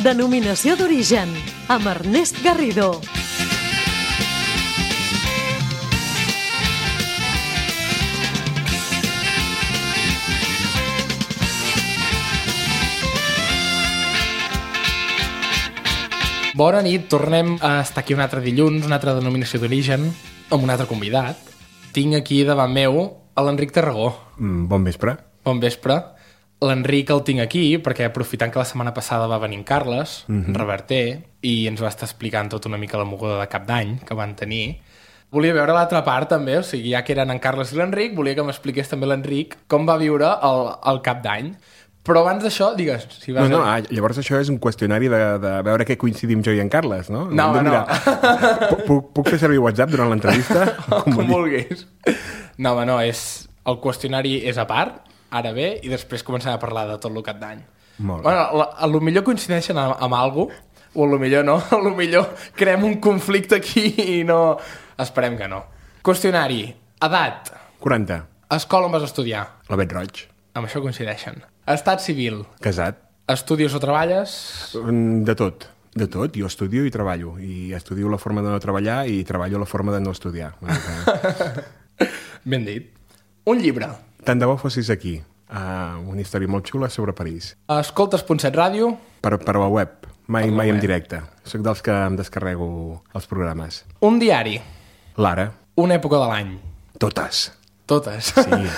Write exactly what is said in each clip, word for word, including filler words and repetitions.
Denominació d'origen, amb Ernest Garrido. Bona nit, tornem a estar aquí un altre dilluns, una altra denominació d'origen, amb un altre convidat. Tinc aquí davant meu a l'Enric Tarragó. Mm, bon vespre. Bon vespre. L'Enric el tinc aquí perquè, aprofitant que la setmana passada va venir en Carles, mm-hmm. reverter, i ens va estar explicant tot una mica la moguda de cap d'any que van tenir. Volia veure l'altra part també, o sigui, ja que eren en Carles i l'Enric, volia que m'expliqués també l'Enric com va viure el, el cap d'any. Però abans d'això, digues... Si vas no, no, a... ah, llavors això és un qüestionari de, de veure què coincidim jo i en Carles, no? No, no. Puc, puc fer servir WhatsApp durant l'entrevista? Com, com vulguis. No, home, no, és... el qüestionari és a part, ara bé, i després començarem a parlar de tot el cap d'any. Molt bé. Bueno, la, a lo millor coincideixen amb, amb alguna cosa, o a lo millor no, a lo millor creem un conflicte aquí i no... Esperem que no. Qüestionari. Edat. quaranta. Escola on vas estudiar. La Bet Roig. Amb això coincideixen. Estat civil. Casat. Estudies o treballes? De tot. De tot. Jo estudio i treballo. I estudio la forma de no treballar i treballo la forma de no estudiar. Ben dit. Un llibre. Tant de bo fossis aquí. Uh, una història molt xula sobre París. Escoltes punt set ràdio? Per, per la web. Mai, per mai web. en directe. Soc dels que em descarrego els programes. Un diari. L'Ara. Una època de l'any. Totes. Totes. Sí,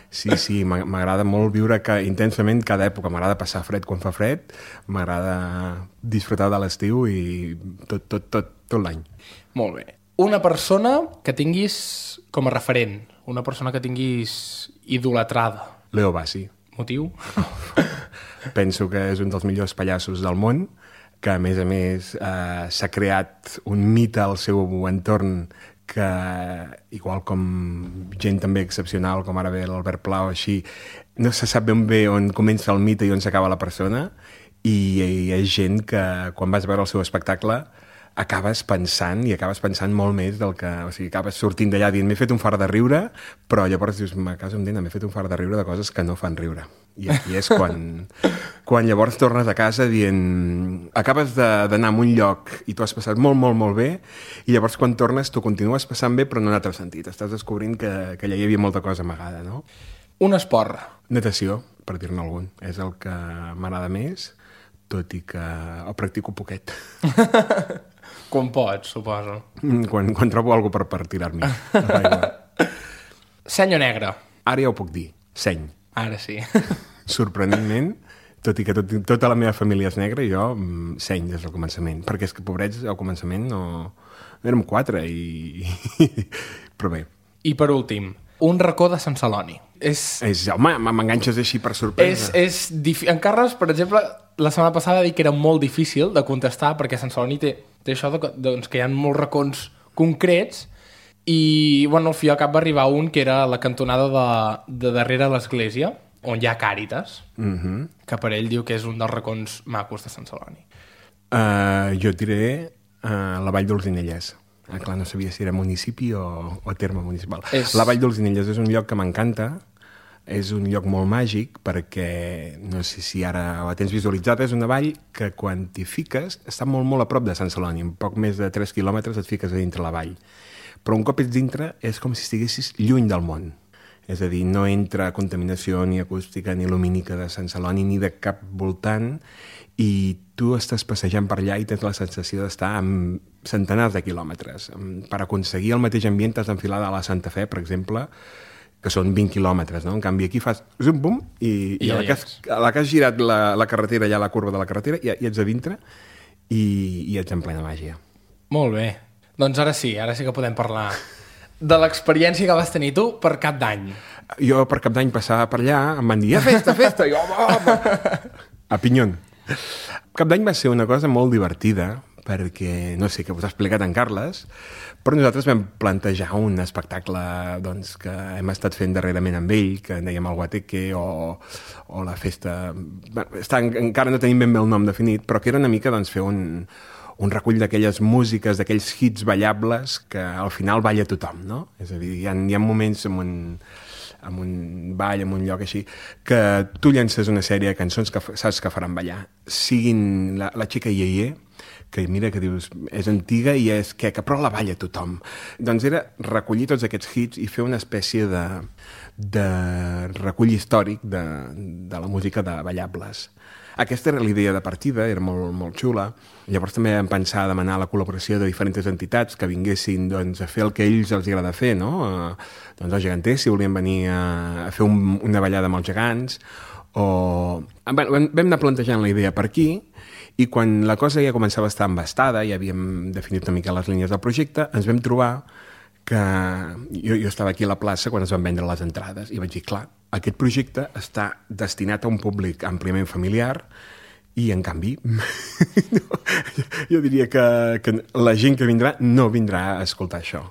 sí, sí, m'agrada molt viure que, intensament cada època. M'agrada passar fred quan fa fred, m'agrada disfrutar de l'estiu i tot, tot, tot, tot l'any. Molt bé. Una persona que tinguis com a referent, una persona que tinguis idolatrada. Leo Bassi. Motiu? Penso que és un dels millors pallassos del món, que a més a més eh, s'ha creat un mite al seu entorn que, igual com gent també excepcional, com ara ve l'Albert Pla o així, no se sap ben bé on comença el mite i on s'acaba la persona, i hi ha gent que, quan vas veure el seu espectacle, acabes pensant, i acabes pensant molt més del que... O sigui, acabes sortint d'allà dient, m'he fet un far de riure, però llavors dius, me caso en dent, m'he fet un far de riure de coses que no fan riure. I aquí és quan, quan llavors tornes a casa dient... Acabes d'anar a un lloc i tu has passat molt, molt, molt bé, i llavors quan tornes tu continues passant bé, però no en altre sentit. Estàs descobrint que, que allà hi havia molta cosa amagada, no? Un esport. Natació, per dir-ne algun. És el que m'agrada més, tot i que el practico poquet. Quan pots, suposo. Quan, quan trobo alguna per, per tirar-m'hi. Seny o negre? Ara ja ho puc dir. Seny. Ara sí. Sorprenentment, tot i que tot, tota la meva família és negra, jo seny des del començament. Perquè és que, pobrets, al començament no... Érem quatre i... Però bé. I per últim, un racó de Sant Celoni. És... és home, m'enganxes així per sorpresa. És, és dif... En Carles, per exemple, la setmana passada va dir que era molt difícil de contestar perquè Sant Celoni té, té això de, doncs, que hi ha molts racons concrets i, bueno, al fi i al cap va arribar un que era la cantonada de, de darrere l'església, on hi ha Càritas, uh-huh. que per ell diu que és un dels racons macos de Sant Celoni. Uh, jo et diré uh, la Vall d'Olzinelles. Ah, clar, no sabia si era municipi o, o terme municipal. És... La Vall d'Olzinelles és un lloc que m'encanta, és un lloc molt màgic perquè, no sé si ara la tens visualitzada, és una vall que quan t'hi fiques està molt, molt a prop de Sant Celoni, en poc més de tres quilòmetres et fiques a dintre la vall. Però un cop ets dintre és com si estiguessis lluny del món. És a dir, no entra contaminació ni acústica ni lumínica de Sant Celoni ni de cap voltant i tu estàs passejant per allà i tens la sensació d'estar amb centenars de quilòmetres. Per aconseguir el mateix ambient t'has d'enfilar a la Santa Fe, per exemple, que són vint quilòmetres, no? En canvi, aquí fas zum, bum, i, i, I a, la que has, a la que has girat la, la carretera, ja la curva de la carretera, i, i ets a dintre i, i ets en plena màgia. Molt bé. Doncs ara sí, ara sí que podem parlar de l'experiència que vas tenir tu per cap d'any. Jo per cap d'any passava per allà, em van dir, a festa, festa, i jo, home, a Pinyón. Cap d'any va ser una cosa molt divertida, perquè, no sé, que us ha explicat en Carles, però nosaltres vam plantejar un espectacle doncs, que hem estat fent darrerament amb ell, que en dèiem el Guateque o, o la festa... Està, encara no tenim ben bé el nom definit, però que era una mica doncs, fer un, un recull d'aquelles músiques, d'aquells hits ballables que al final balla tothom, no? És a dir, hi ha, hi ha moments en un, en un ball, en un lloc així, que tu llences una sèrie de cançons que saps que faran ballar. Siguin la, la xica Ieye, que mira que dius, és antiga i és queca, però la balla tothom. Doncs era recollir tots aquests hits i fer una espècie de, de recull històric de, de la música de ballables. Aquesta era l'idea de partida, era molt, molt xula. Llavors també vam pensar a demanar la col·laboració de diferents entitats que vinguessin doncs, a fer el que a ells els agrada fer, no? Eh, doncs els geganters, si volien venir a, a fer un, una ballada amb els gegants, o... Bueno, vam, vam anar plantejant la idea per aquí, i quan la cosa ja començava a estar embastada, ja havíem definit una mica les línies del projecte, ens vam trobar que... Jo, jo estava aquí a la plaça quan es van vendre les entrades i vaig dir, clar, aquest projecte està destinat a un públic àmpliament familiar i, en canvi, no, jo diria que, que la gent que vindrà no vindrà a escoltar això.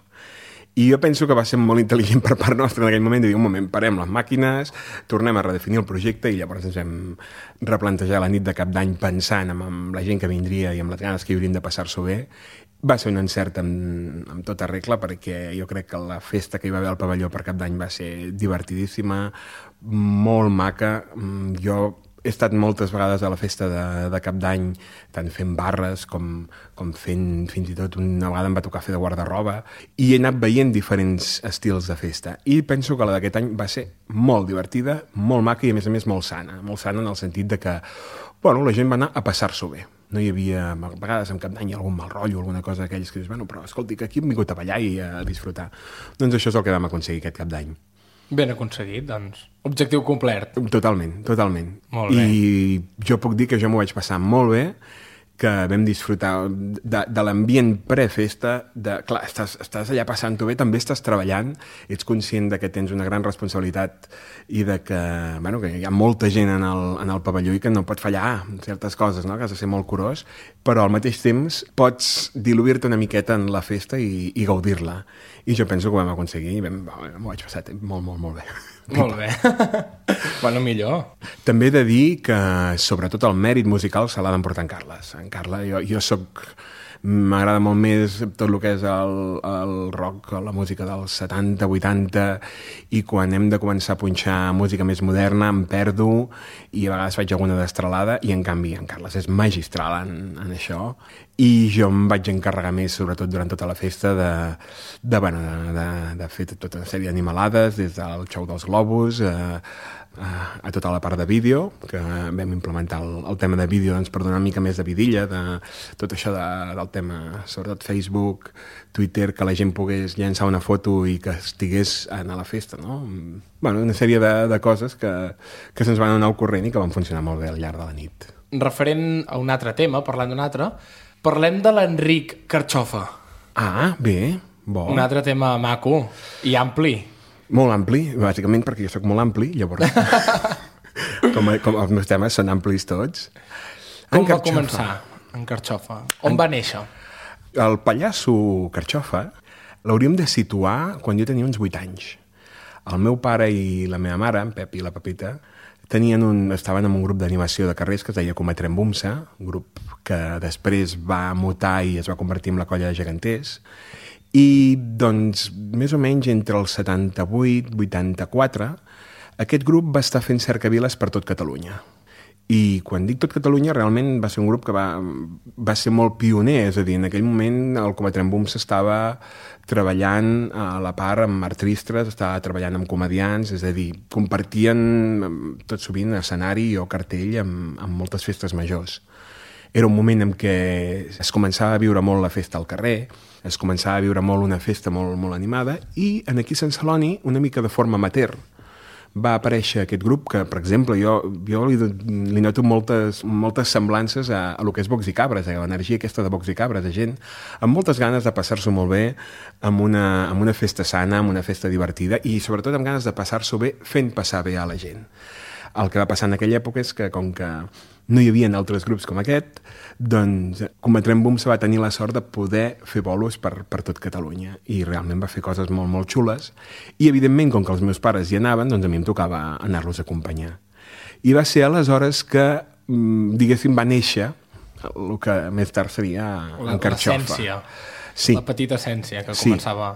I jo penso que va ser molt intel·ligent per part nostra en aquell moment de dir, un moment, parem les màquines, tornem a redefinir el projecte i llavors ens vam replantejar la nit de cap d'any pensant en, en la gent que vindria i amb les ganes que hi haurien de passar-s'ho bé. Va ser un encert amb, amb tota regla perquè jo crec que la festa que hi va haver al pavelló per cap d'any va ser divertidíssima, molt maca. Jo he estat moltes vegades a la festa de, de cap d'any, tant fent barres com, com fent fins i tot una vegada em va tocar fer de guardarroba i he anat veient diferents estils de festa i penso que la d'aquest any va ser molt divertida, molt maca i a més a més molt sana, molt sana en el sentit de que bueno, la gent va anar a passar-s'ho bé. No hi havia, a vegades en cap d'any algun mal rotllo, alguna cosa d'aquells que dius, bueno, però escolti, que aquí hem vingut a ballar i a disfrutar. Doncs això és el que vam aconseguir aquest cap d'any. Ben aconseguit, doncs. Objectiu complert. Totalment, totalment. Molt bé. I jo puc dir que jo m'ho vaig passar molt bé, que vam disfrutar de, de l'ambient prefesta, de, clar, estàs, estàs allà passant-ho bé, també estàs treballant, ets conscient de que tens una gran responsabilitat i de que, bueno, que hi ha molta gent en el, en el pavelló i que no pot fallar certes coses, no? Que has de ser molt curós, però al mateix temps pots diluir-te una miqueta en la festa i, i gaudir-la. I jo penso que ho vam aconseguir i vam, m'ho vaig passar molt, molt, molt bé. Molt bé. Bueno, millor. També he de dir que, sobretot, el mèrit musical se l'ha d'emportar en Carles. En Carles, jo, jo soc... M'agrada molt més tot el que és el, el rock, la música dels setanta, vuitanta, i quan hem de començar a punxar música més moderna em perdo i a vegades faig alguna destralada i, en canvi, en Carles és magistral en, en això i jo em vaig encarregar més, sobretot durant tota la festa, de, de, bueno, de, de, de fer tota una sèrie d'animalades, des del xou dels globus, a, a, a tota la part de vídeo, que vam implementar el, el tema de vídeo doncs, per donar una mica més de vidilla, de tot això de, del tema, sobretot Facebook, Twitter, que la gent pogués llançar una foto i que estigués a la festa, no? Bueno, una sèrie de, de coses que, que se'ns van anar al corrent i que van funcionar molt bé al llarg de la nit. Referent a un altre tema, parlant d'un altre, parlem de l'Enric Carxofa. Ah, bé, bo. Un altre tema maco i ampli. Molt ampli, bàsicament perquè jo sóc molt ampli, llavors com, com els meus temes són amplis tots. Com va començar en Carxofa? On en... va néixer? El pallasso Carxofa l'hauríem de situar quan jo tenia uns vuit anys. El meu pare i la meva mare, en Pep i la Pepita, tenien un, estaven en un grup d'animació de carrers que es deia Cometrem Bumsa, un grup que després va mutar i es va convertir en la colla de geganters. I, doncs, més o menys entre el setanta-vuit i vuitanta-quatre, aquest grup va estar fent cercaviles per tot Catalunya. I quan dic tot Catalunya, realment va ser un grup que va, va ser molt pioner, és a dir, en aquell moment el Cometrem Bumsa estava treballant a la part amb artistes, estava treballant amb comedians, és a dir, compartien tot sovint escenari o cartell amb, amb moltes festes majors. Era un moment en què es començava a viure molt la festa al carrer, es començava a viure molt una festa molt, molt animada i en aquí a Sant Celoni, una mica de forma amateur, va aparèixer aquest grup que, per exemple, jo, jo li, li noto moltes, moltes semblances a, a lo que és Bocs i Cabres, a l'energia aquesta de Bocs i Cabres, de gent amb moltes ganes de passar-s'ho molt bé, amb una, amb una festa sana, amb una festa divertida i sobretot amb ganes de passar-s'ho bé fent passar bé a la gent. El que va passar en aquella època és que, com que no hi havia altres grups com aquest, doncs Cometrem Bumsa va tenir la sort de poder fer bolos per, per tot Catalunya i realment va fer coses molt, molt xules i, evidentment, com que els meus pares hi anaven, doncs a mi em tocava anar-los a acompanyar. I va ser aleshores que, diguéssim, va néixer el que més tard seria La- en Carxofa. l'essència. Sí. La petita essència que Sí. començava...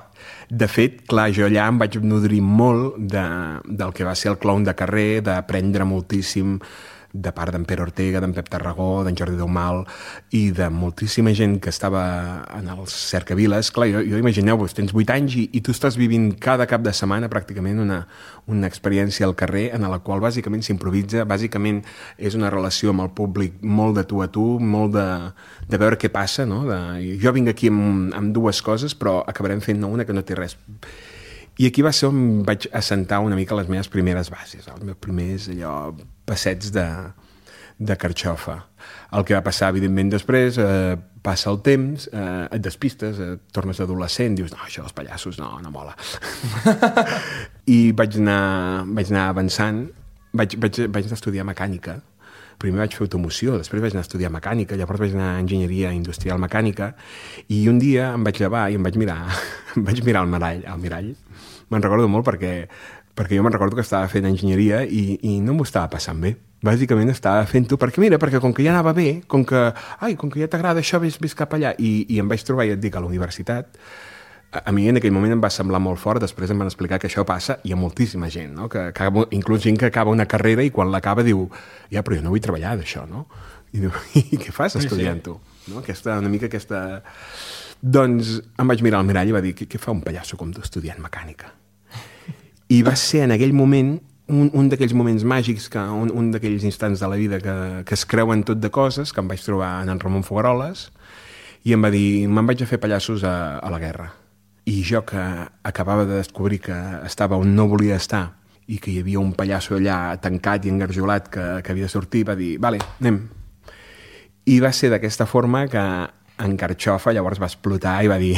De fet, clar, jo allà em vaig nodrir molt de, del que va ser el clown de carrer, d'aprendre moltíssim de part d'en Pere Ortega, d'en Pep Tarragó, d'en Jordi Daumal i de moltíssima gent que estava en els cercaviles. Clar, jo, jo imagineu-vos, tens vuit anys i, i tu estàs vivint cada cap de setmana pràcticament una, una experiència al carrer en la qual bàsicament s'improvisa, bàsicament és una relació amb el públic molt de tu a tu, molt de, de veure què passa, no? De, jo vinc aquí amb, amb dues coses, però acabarem fent una que no té res. I aquí va ser on vaig assentar una mica les meves primeres bases, els meus primers allò, passets de, de Carxofa. El que va passar, evidentment, després, eh, passa el temps, eh, et despistes, eh, tornes adolescent, dius, no, això dels pallassos no, no mola. I vaig anar, vaig anar avançant, vaig, vaig, vaig anar a estudiar mecànica. Primer vaig fer automoció, després vaig anar a estudiar mecànica, llavors vaig anar a enginyeria industrial mecànica, i un dia em vaig llevar i em vaig mirar, em vaig mirar al mirall, al mirall. Me'n recordo molt perquè, perquè jo me'n recordo que estava fent enginyeria i, i no m'ho estava passant bé. Bàsicament estava fent-ho, perquè mira, perquè com que ja anava bé, com que, ai, com que ja t'agrada això, vés, vés cap allà, i, i em vaig trobar, ja et dic, a la universitat. A, a mi en aquell moment em va semblar molt fort, després em van explicar que això passa, i hi ha moltíssima gent, no? Que, que, inclús gent que acaba una carrera i quan l'acaba diu, ja, però jo no vull treballar d'això, no? I diu, i què fas estudiant-ho? No? Aquesta, una mica aquesta... Doncs em vaig mirar al mirall i va dir, què, què fa un pallasso com tu estudiant mecànica? I va ser en aquell moment un, un d'aquells moments màgics, que, un, un d'aquells instants de la vida que, que es creuen tot de coses, que em vaig trobar en en Ramon Fogaroles, i em va dir, me'n vaig a fer pallassos a, a la guerra. I jo, que acabava de descobrir que estava on no volia estar i que hi havia un pallasso allà tancat i engarjolat que, que havia de sortir, va dir, vale, anem. I va ser d'aquesta forma que en Carxofa llavors va explotar i va dir,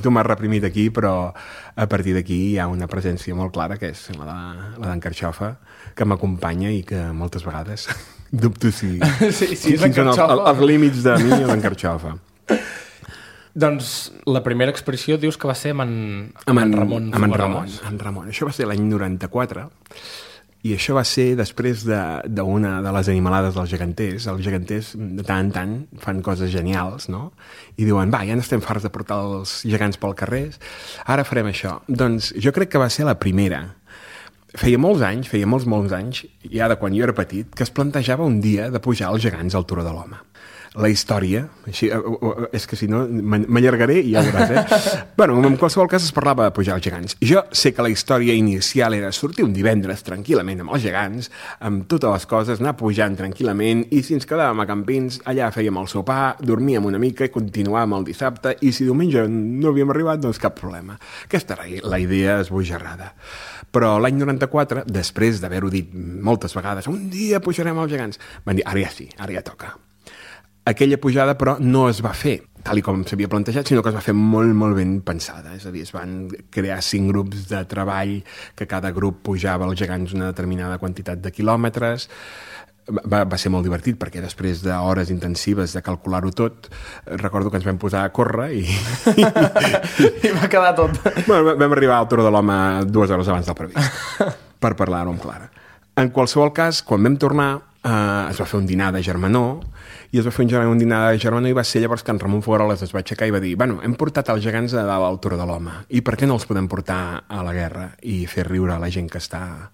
tu m'has reprimit aquí, però a partir d'aquí hi ha una presència molt clara, que és la, de, la d'en Carxofa, que m'acompanya i que moltes vegades dubto si... Sí, sí, és en quins són els, Carxofa. els límits de mi o d'en Carxofa. Doncs la primera expressió dius que va ser amb en, Amb en, en Ramon amb en Ramon, Fogaroles. en Ramon. Això va ser l'any noranta-quatre, i això va ser després d'una de, de les animalades dels geganters. Els geganters, de tant en tant, fan coses genials, no? I diuen, va, ja n'estem farts de portar els gegants pel carrer, ara farem això. Doncs jo crec que va ser la primera. Feia molts anys, feia molts, molts anys, ja de quan jo era petit, que es plantejava un dia de pujar els gegants al Turó de l'Home. La història, així, és que si no m'allargaré i ja ho veuràs, eh? Bueno, en qualsevol cas es parlava de pujar els gegants. Jo sé que la història inicial era sortir un divendres tranquil·lament amb els gegants, amb totes les coses, anar pujant tranquil·lament, i si ens quedàvem a Campins, allà fèiem el sopar, dormíem una mica i continuàvem el dissabte, i si diumenge no havíem arribat, doncs cap problema. Aquesta era la idea esbojarrada. Però l'any noranta-quatre, després d'haver-ho dit moltes vegades, un dia pujarem els gegants, van dir, ara ja sí, ara ja toca. Aquella pujada, però, no es va fer tal i com s'havia plantejat, sinó que es va fer molt, molt ben pensada. És a dir, es van crear cinc grups de treball, que cada grup pujava els gegants una determinada quantitat de quilòmetres. Va, va ser molt divertit, perquè després d'hores intensives de calcular-ho tot, recordo que ens vam posar a córrer i... I va quedar tot. Bueno, vam arribar al Turó de l'Home dues hores abans del previst, per parlar-ho amb clara. En qualsevol cas, quan vam tornar, eh, es va fer un dinar de germanor, i es va fer un, un dinar de germanor, i va ser llavors que en Ramon Fogaroles es va aixecar i va dir, bueno, hem portat els gegants a dalt al Turó de l'Home, i per què no els podem portar a la guerra i fer riure a la gent que està,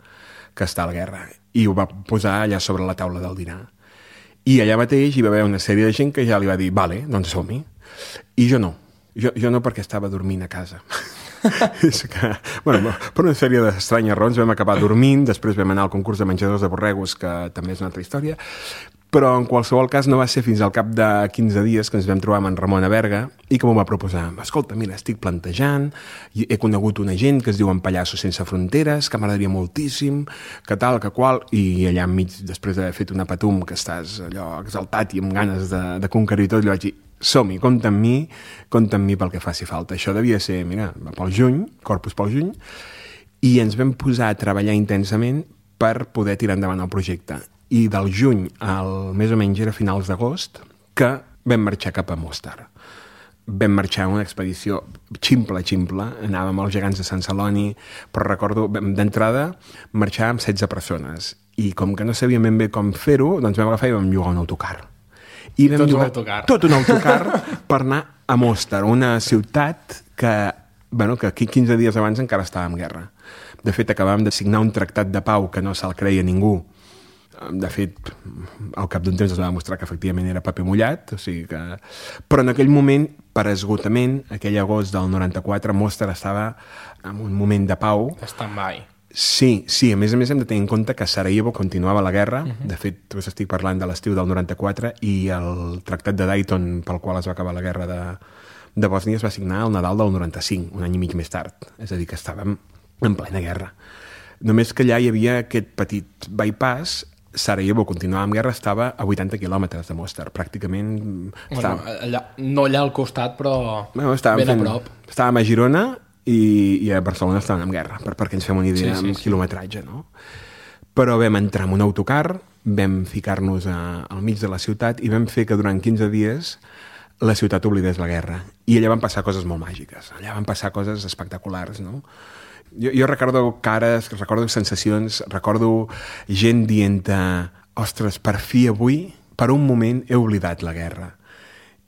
que està a la guerra? I ho va posar allà sobre la taula del dinar. I allà mateix hi va haver una sèrie de gent que ja li va dir, vale, doncs som-hi. I jo no. Jo, jo no, perquè estava dormint a casa. És que, bueno, per una sèrie d'estranyes raons vam acabar dormint, després vam anar al concurs de menjadors de borregos, que també és una altra història, però en qualsevol cas no va ser fins al cap de quinze dies que ens vam trobar amb en Ramon a Berga i que m'ho va proposar. Escolta, mira, estic plantejant, he conegut una gent que es diuen Pallassos Sense Fronteres, que m'agradaria moltíssim, que tal, que qual, i allà enmig, després d'haver fet una patum, que estàs allò exaltat i amb ganes de, de conquerir tot, li vaig dir, som-hi, compta amb mi, compta amb mi pel que faci falta. Això devia ser, mira, pel juny, Corpus pel juny, i ens vam posar a treballar intensament per poder tirar endavant el projecte. I del juny al més o menys era finals d'agost que vam marxar cap a Mostar. Vam marxar en una expedició ximple, ximple, anàvem als gegants de Sant Celoni, però recordo, d'entrada, marxar amb setze persones. I com que no sabíem ben bé com fer-ho, doncs vam agafar i vam llogar un autocar. I vam Tot un llogar autocar. tot un autocar per anar a Mostar, una ciutat que, bueno, que aquí quinze dies abans encara estava en guerra. De fet, acabàvem de signar un tractat de pau que no se'l creia ningú. De fet, al cap d'un temps es va demostrar que efectivament era paper mullat, o sigui que... Però en aquell moment, per esgotament, aquell agost del noranta-quatre, Mostar estava en un moment de pau. Stand-by. Sí, sí, a més a més hem de tenir en compte que a Sarajevo continuava la guerra. Uh-huh. De fet, us estic parlant de l'estiu del noranta-quatre i el tractat de Dayton pel qual es va acabar la guerra de, de Bòsnia es va signar al Nadal del noranta-cinc, un any i mig més tard. És a dir, que estàvem en plena guerra. Només que allà hi havia aquest petit bypass. Sarajevo continuava amb guerra, estava a vuitanta quilòmetres de Mostar, pràcticament... Bueno, estava... allà, no allà al costat, però bueno, ben fent... a prop. Estàvem a Girona i, i a Barcelona estaven en guerra, per, perquè ens fem una idea sí, sí, amb sí. quilometratge, no? Però vam entrar en un autocar, vam ficar-nos a, al mig de la ciutat i vam fer que durant quinze dies la ciutat oblidés la guerra. I allà van passar coses molt màgiques, allà van passar coses espectaculars, no? Jo, jo recordo cares, recordo sensacions, recordo gent dient ostres, per fi avui, per un moment he oblidat la guerra.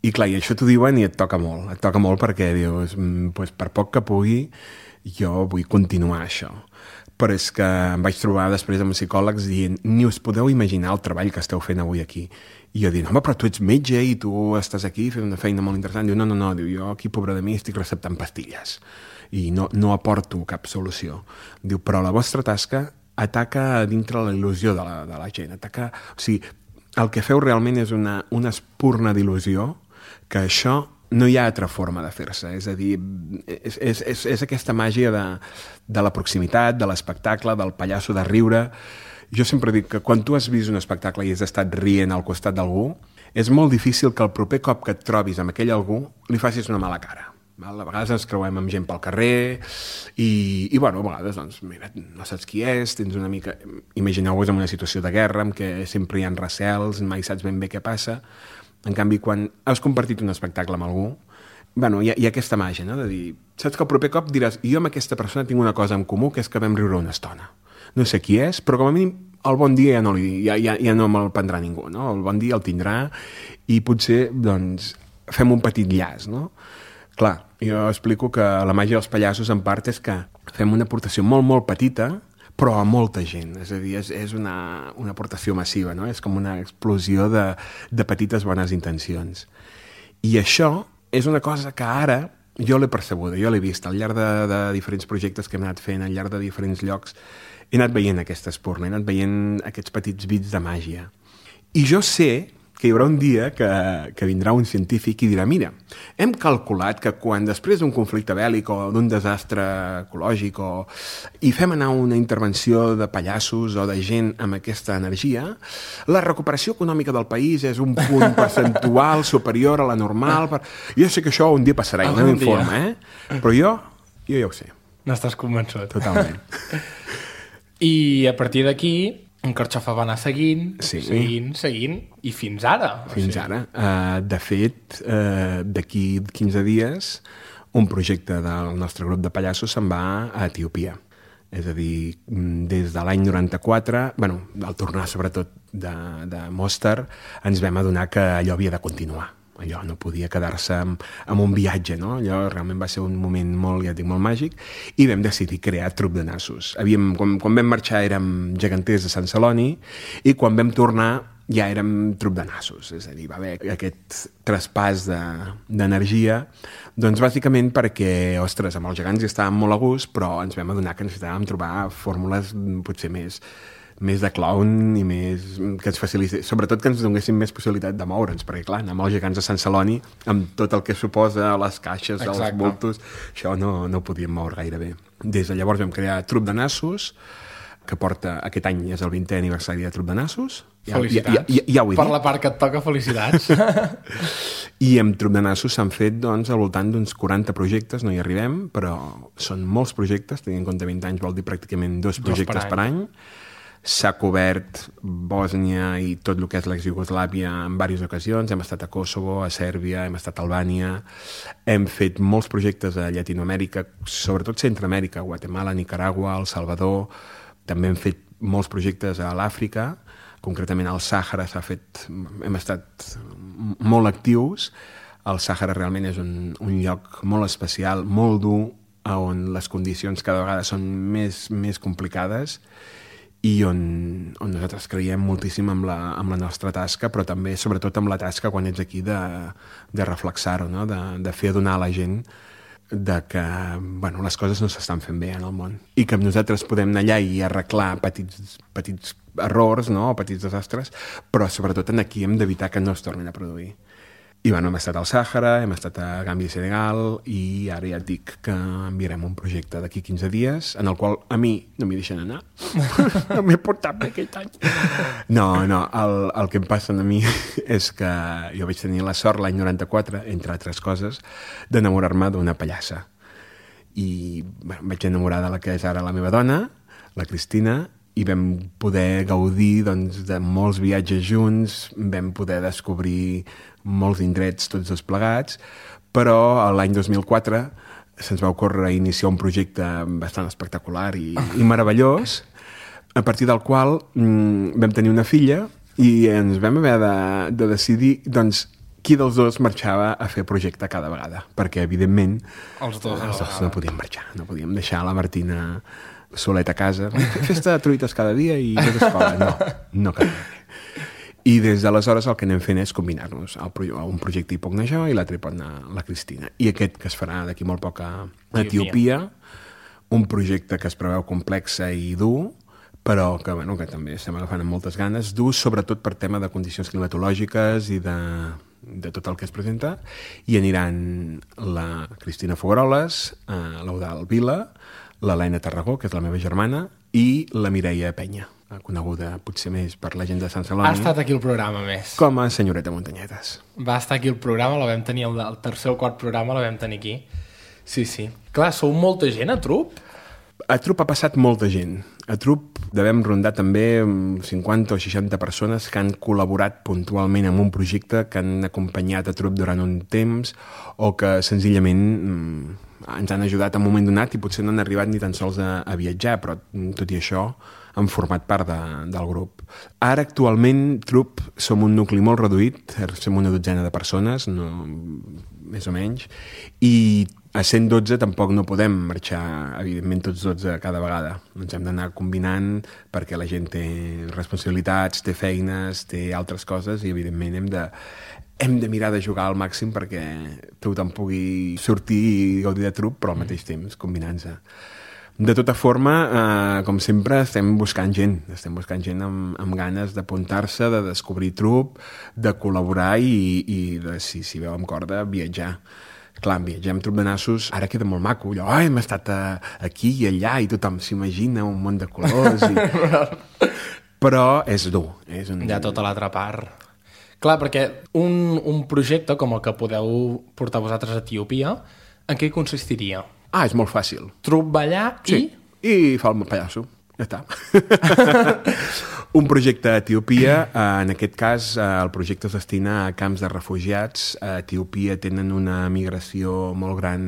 I clar, i això t'ho diuen i et toca molt, et toca molt perquè dius, pues, per poc que pugui, jo vull continuar això. Però és que em vaig trobar després amb psicòlegs dient, ni us podeu imaginar el treball que esteu fent avui aquí. I jo dic, home, però tu ets metge i tu estàs aquí fent una feina molt interessant. Diu, no, no, no, diu, jo aquí, pobre de mi, estic receptant pastilles i no, no aporto cap solució. Diu, però la vostra tasca ataca dintre la il·lusió de la, de la gent. Ataca... O sigui, el que feu realment és una, una espurna d'il·lusió que això no hi ha altra forma de fer-se. És a dir, és, és, és, és aquesta màgia de, de la proximitat, de l'espectacle, del pallasso de riure. Jo sempre dic que quan tu has vist un espectacle i has estat rient al costat d'algú, és molt difícil que el proper cop que et trobis amb aquell algú li facis una mala cara. A vegades ens creuem amb gent pel carrer i, i bueno, a vegades, doncs, mira, no saps qui és, tens una mica... Imagineu-vos en una situació de guerra en què sempre hi ha recels, mai saps ben bé què passa. En canvi, quan has compartit un espectacle amb algú, bueno, hi ha, hi ha aquesta màgia, no?, de dir, saps que el proper cop diràs, jo amb aquesta persona tinc una cosa en comú, que és que vam riure una estona. No sé qui és, però com a mínim el bon dia ja no, li, ja, ja, ja no me'l prendrà ningú, no? El bon dia el tindrà i potser, doncs, fem un petit llaç, no? Clar, jo explico que la màgia dels pallassos en part és que fem una aportació molt, molt petita, però a molta gent. És a dir, és, és una, una aportació massiva, no? És com una explosió de, de petites bones intencions. I això és una cosa que ara jo l'he percebuda, jo l'he vist al llarg de, de diferents projectes que hem anat fent, al llarg de diferents llocs, he anat veient aquesta espurna, he anat veient aquests petits bits de màgia. I jo sé que hi haurà un dia que, que vindrà un científic i dirà, mira, hem calculat que quan després d'un conflicte bèl·lic o d'un desastre ecològic o, i fem anar una intervenció de pallassos o de gent amb aquesta energia, la recuperació econòmica del país és un punt percentual superior a la normal. Per... Jo sé que això un dia passarà, no m'informa, eh? Però jo, jo ja ho sé. N'estàs convençut. Totalment. I a partir d'aquí, en Carxofa va anar seguint, sí. seguint, seguint, i fins ara. Fins o sigui... ara. Uh, de fet, uh, d'aquí quinze dies, un projecte del nostre grup de pallassos se'n va a Etiòpia. És a dir, des de l'any noranta-quatre, bueno, al tornar sobretot de, de Mostar, ens vam adonar que allò havia de continuar. Allò no podia quedar-se amb, amb un viatge, no? Allò realment va ser un moment molt, ja dic, molt màgic, i vam decidir crear Trup de Nassos. Havíem, quan, quan vam marxar érem geganters de Sant Celoni, i quan vam tornar ja érem Trup de Nassos. És a dir, va haver aquest traspàs d'energia, de, doncs bàsicament perquè, ostres, amb els gegants hi estàvem molt a gust, però ens vam adonar que necessitàvem trobar fórmules potser més... més de clown i més que ens facilités, sobretot que ens donessin més possibilitat de moure'ns, perquè clar, anar amb els gegants de Sant Celoni, amb tot el que suposa les caixes, Exacte. Els bultos, això no, no ho podíem moure gaire bé. Des de llavors vam crear Trup de Nassos, que porta, aquest any és el vintè aniversari de Trup de Nassos. Ja, felicitats. Ja, ja, ja, ja ho he per dit. La part que et toca, felicitats. I amb Trup de Nassos s'han fet doncs, al voltant d'uns quaranta projectes, no hi arribem, però són molts projectes, tenint en compte vint anys vol dir pràcticament dos projectes dos per any. Per any. S'ha cobert Bòsnia i tot el que és l'ex-Iugoslàvia en diverses ocasions. Hem estat a Kosovo, a Sèrbia, hem estat a Albània. Hem fet molts projectes a Llatinoamèrica, sobretot Centroamèrica, Guatemala, Nicaragua, El Salvador. També hem fet molts projectes a l'Àfrica, concretament al Sàhara s'ha fet, hem estat molt actius. El Sàhara realment és un, un lloc molt especial, molt dur, on les condicions cada vegada són més, més complicades i on, on nosaltres creiem moltíssim amb la, amb la nostra tasca, però també, sobretot, amb la tasca quan ets aquí de, de reflexar-ho, no? de, de fer adonar a la gent de que bueno, les coses no s'estan fent bé en el món i que nosaltres podem anar allà i arreglar petits, petits errors, no? O petits desastres, però sobretot aquí hem d'evitar que no es tornin a produir. I bueno, hem estat al Sàhara, hem estat a Gàmbia i Senegal i ara ja et dic que enviarem un projecte d'aquí quinze dies en el qual a mi no m'hi deixen anar. No m'he portat bé aquest any. No, no, el, el que em passa a mi és que jo vaig tenir la sort l'any noranta-quatre, entre altres coses, d'enamorar-me d'una pallassa. I bueno, em vaig enamorar de la que és ara la meva dona, la Cristina, i vam poder gaudir doncs, de molts viatges junts, vam poder descobrir molts indrets tots dos plegats, però l'any dos mil quatre se'ns va ocórrer iniciar un projecte bastant espectacular i, i meravellós, a partir del qual mm, vam tenir una filla i ens vam haver de, de decidir doncs, qui dels dos marxava a fer projecte cada vegada, perquè evidentment els dos, els dos no podíem marxar, no podíem deixar la Martina soleta a casa, festa de truites cada dia i tot escola, no, no cal. I des d'aleshores el que anem fent és combinar-nos. Pro un projecte hi pot anar jo i l'altre hi pot anar la Cristina. I aquest que es farà d'aquí molt poc a Etiòpia, un projecte que es preveu complex i dur, però que, bueno, que també estem agafant amb moltes ganes, dur sobretot per tema de condicions climatològiques i de, de tot el que es presenta, i aniran la Cristina Fogueroles, eh, l'Eudald Vila, l'Helena Tarragó, que és la meva germana, i la Mireia Penya, coneguda potser més per la gent de Sant Celoni. Ha estat aquí el programa, més. Com a senyoreta Muntanyetes. Va estar aquí el programa, la vam tenir, el, el tercer o quart programa la vam tenir aquí. Sí, sí. Clar, sou molta gent a Trup? A Trup ha passat molta gent. A Trup devem rondar també cinquanta o seixanta persones que han col·laborat puntualment en un projecte, que han acompanyat a Trup durant un temps o que senzillament ens han ajudat en un moment donat i potser no han arribat ni tan sols a, a viatjar, però tot i això han format part de, del grup. Ara, actualment, Trup som un nucli molt reduït, som una dotzena de persones, no, més o menys, i a cent dotze tampoc no podem marxar, evidentment, tots dotze cada vegada. Ens hem d'anar combinant perquè la gent té responsabilitats, té feines, té altres coses i, evidentment, hem de, hem de mirar de jugar al màxim perquè tothom pugui sortir i gaudir de Trup, però al mateix temps combinant-se. De tota forma, eh, com sempre, estem buscant gent. Estem buscant gent amb, amb ganes d'apuntar-se, de descobrir Trup, de col·laborar i, i de, si, si veu amb corda, viatjar. Clar, viatjar amb Trup de Nassos ara queda molt maco. Allò, ai, hem estat a, aquí i allà i tothom s'imagina un món de colors. I... Però és dur. És un... Hi ha tota l'altra part. Clar, perquè un, un projecte com el que podeu portar vosaltres a Etiòpia, en què consistiria? Ah, és molt fàcil. Trup va allà i... Sí, i fa el pallasso. Ja està. Un projecte a Etiòpia, en aquest cas el projecte es destina a camps de refugiats. A Etiòpia tenen una migració molt gran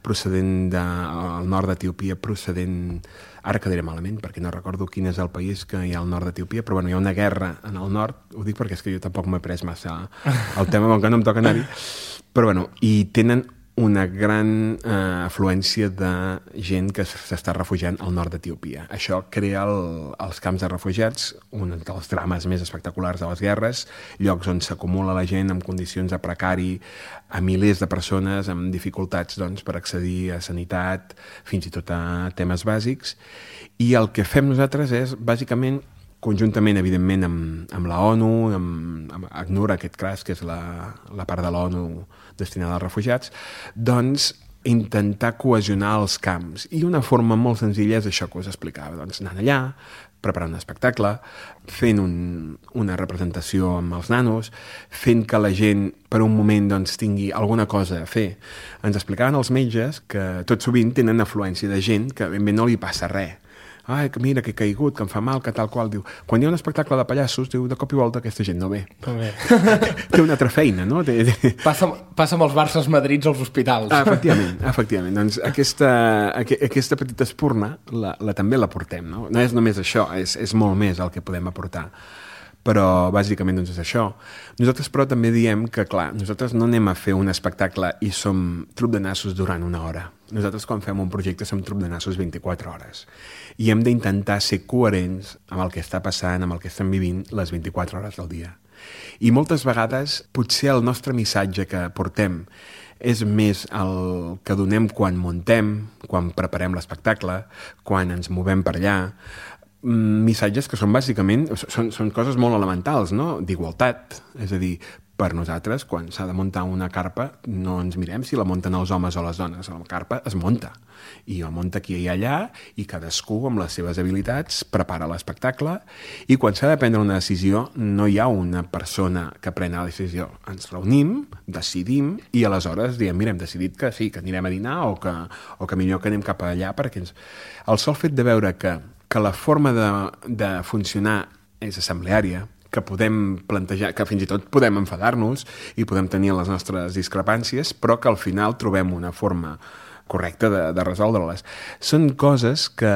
procedent del nord d'Etiòpia, procedent... Ara quedaré malament, perquè no recordo quin és el país que hi ha al nord d'Etiòpia, però bueno, hi ha una guerra en el nord, ho dic perquè és que jo tampoc m'he pres massa el tema, com que no em toca anar-hi, però bueno, i tenen una gran eh, afluència de gent que s'està refugiant al nord d'Etiòpia. Això crea el, els camps de refugiats, un dels drames més espectaculars de les guerres, llocs on s'acumula la gent en condicions de precari, a milers de persones amb dificultats doncs, per accedir a sanitat, fins i tot a temes bàsics. I el que fem nosaltres és, bàsicament, conjuntament, evidentment, amb, amb la ONU, amb, amb ACNUR, aquest cas, que és la, la part de l'ONU destinada als refugiats, doncs intentar cohesionar els camps. I una forma molt senzilla és això que us explicava, doncs anant allà, preparant un espectacle, fent un, una representació amb els nanos, fent que la gent per un moment doncs, tingui alguna cosa a fer. Ens explicaven els metges que tot sovint tenen afluència de gent que ben bé no li passa res. Ai, que mira, que he caigut, que em fa mal, que tal qual. Diu, quan hi ha un espectacle de pallassos, diu, de cop i volta aquesta gent no ve. No ve. Té una altra feina, no? Té, té... Passa, passa amb els Barces Madrids als hospitals. Ah, efectivament, efectivament. Doncs aquesta, aqu aquesta petita espurna la, la, també la portem, no? No és només això, és, és molt més el que podem aportar. Però, bàsicament, doncs és això. Nosaltres, però, també diem que, clar, nosaltres no anem a fer un espectacle i som trup de nassos durant una hora. Nosaltres, quan fem un projecte, som trup de nassos vint-i-quatre hores. I hem d'intentar ser coherents amb el que està passant, amb el que estem vivint les vint-i-quatre hores del dia. I moltes vegades, potser el nostre missatge que portem és més el que donem quan muntem, quan preparem l'espectacle, quan ens movem per allà, missatges que són bàsicament, són, són coses molt elementals, no? D'igualtat, és a dir, per nosaltres, quan s'ha de muntar una carpa, no ens mirem si la munten els homes o les dones, la carpa es munta, i la munta aquí i allà, i cadascú amb les seves habilitats prepara l'espectacle, i quan s'ha de prendre una decisió no hi ha una persona que pren la decisió, ens reunim, decidim, i aleshores diem, mira, hem decidit que sí, que anirem a dinar, o que, o que millor que anem cap allà, perquè ens... el sol fet de veure que que la forma de, de funcionar és assembleària, que podem plantejar, que fins i tot podem enfadar-nos i podem tenir les nostres discrepàncies, però que al final trobem una forma correcta de, de resoldre-les. Són coses que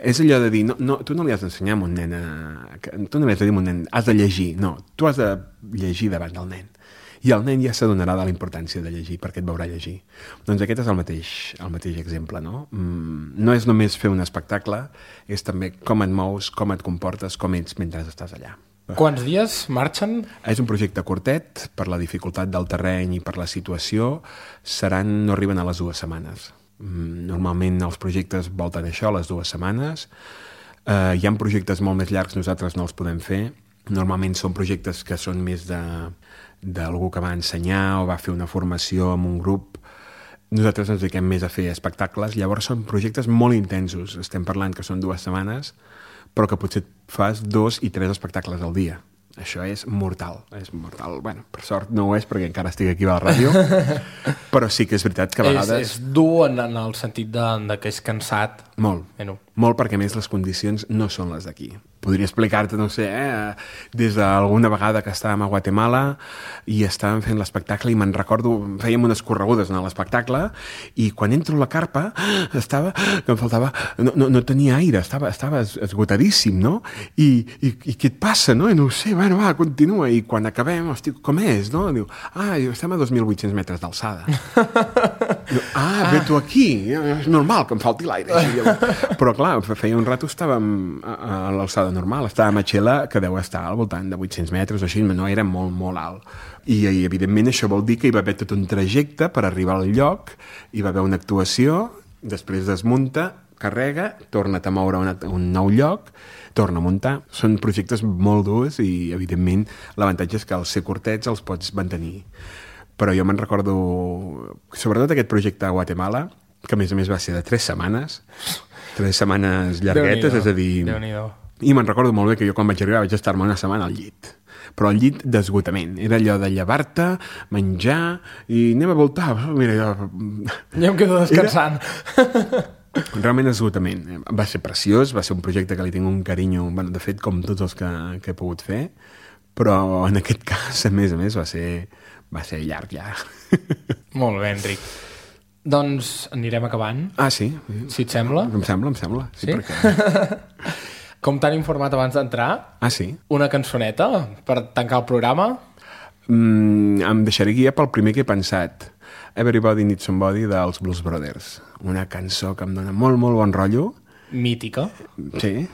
és allò de dir, no, no, tu no li has d'ensenyar a un nen, a, que, tu no li has de dir a un nen, has de llegir, no, tu has de llegir davant del nen. I el nen ja s'adonarà de la importància de llegir perquè et veurà llegir. Doncs aquest és el mateix, el mateix exemple, no? Mm, no és només fer un espectacle, és també com et mous, com et comportes, com ets mentre estàs allà. Quants dies marxen? És un projecte curtet, per la dificultat del terreny i per la situació, seran, no arriben a les dues setmanes. Mm, normalment els projectes volten això, les dues setmanes. Eh, hi ha projectes molt més llargs, nosaltres no els podem fer. Normalment són projectes que són més de... d'algú que va ensenyar o va fer una formació amb un grup. Nosaltres ens dediquem més a fer espectacles, llavors són projectes molt intensos. Estem parlant que són dues setmanes, però que potser fas dos i tres espectacles al dia. Això és mortal, és mortal. Bueno, per sort no ho és perquè encara estic aquí a la ràdio, però sí que és veritat que a vegades... És, és dur en, en el sentit de, de que és cansat. Molt, bueno. molt perquè a més les condicions no són les d'aquí. Podria explicar-te, no sé, eh, des d'alguna vegada que estàvem a Guatemala i estàvem fent l'espectacle i me'n recordo, fèiem unes corregudes en l'espectacle i quan entro a la carpa estava, que em faltava, no, no, no tenia aire, estava, estava esgotadíssim, no? I, i, i què et passa, no? I no ho sé, bueno, va, continua. I quan acabem, hosti, com és, no? Diu, ah, estem a dos mil vuit-cents metres d'alçada. Ah, ve tu aquí, és normal que em falti l'aire. Però clar, feia un rato estàvem a, a l'alçada normal, estàvem a Xela, que deu estar al voltant de vuit-cents metres o així, no era molt, molt alt. I, i evidentment això vol dir que hi va haver tot un trajecte per arribar al lloc, hi va haver una actuació, després desmunta, carrega, torna't a moure a una, un nou lloc, torna a muntar. Són projectes molt durs i, evidentment, l'avantatge és que als ser curtets els pots mantenir. Però jo me'n recordo, sobretot aquest projecte a Guatemala, que a més a més va ser de tres setmanes, tres setmanes llarguetes, és a dir... I me'n recordo molt bé que jo quan vaig arribar vaig estar-me una setmana al llit. Però al llit d'esgotament. Era allò de llevar-te, menjar i anem a voltar. Mira, jo... Ja em quedo descansant. Era... Realment esgotament. Va ser preciós, va ser un projecte que li tinc un carinyo, bueno, de fet, com tots els que, que he pogut fer, però en aquest cas, a més a més, va ser, va ser llarg, ja. Molt bé, Enric. Doncs anirem acabant. Ah, sí? Si et sembla. Em sembla, em sembla. Sí, sí? Perquè... Com t'han informat abans d'entrar? Ah, sí? Una cançoneta per tancar el programa? Mm, em deixaré guiar pel primer que he pensat. Everybody Needs Somebody dels Blues Brothers. Una cançó que em dona molt, molt bon rotllo. Mítica. Sí,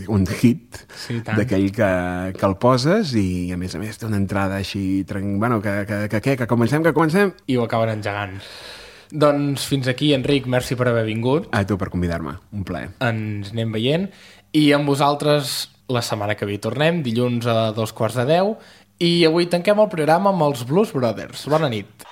un hit, sí, d'aquell que, que el poses i a més a més té una entrada així, bueno, que, que, que, que, que comencem, que comencem. I ho acaben engegant. Doncs fins aquí, Enric, merci per haver vingut. A tu per convidar-me, un plaer. Ens anem veient i amb vosaltres la setmana que ve tornem, dilluns a dos quarts de deu, i avui tanquem el programa amb els Blues Brothers. Bona nit.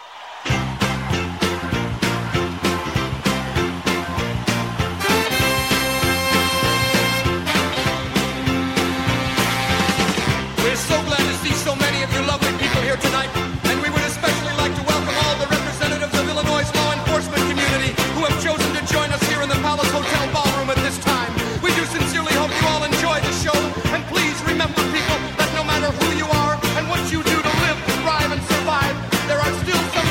Who you are and what you do to live, thrive, and survive, there are still some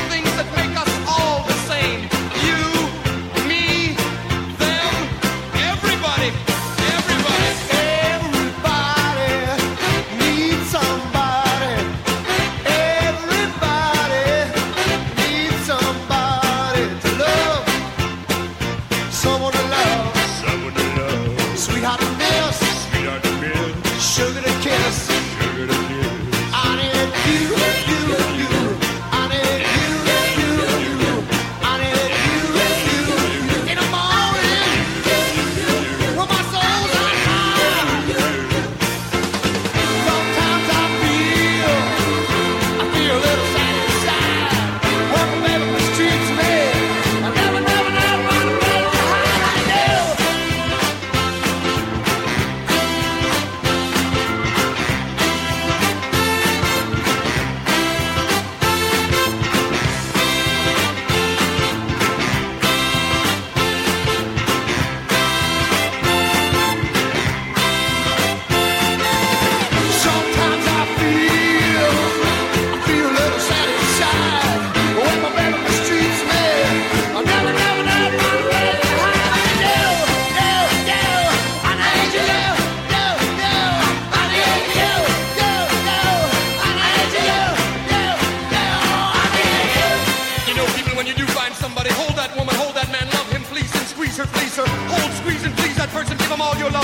all your love.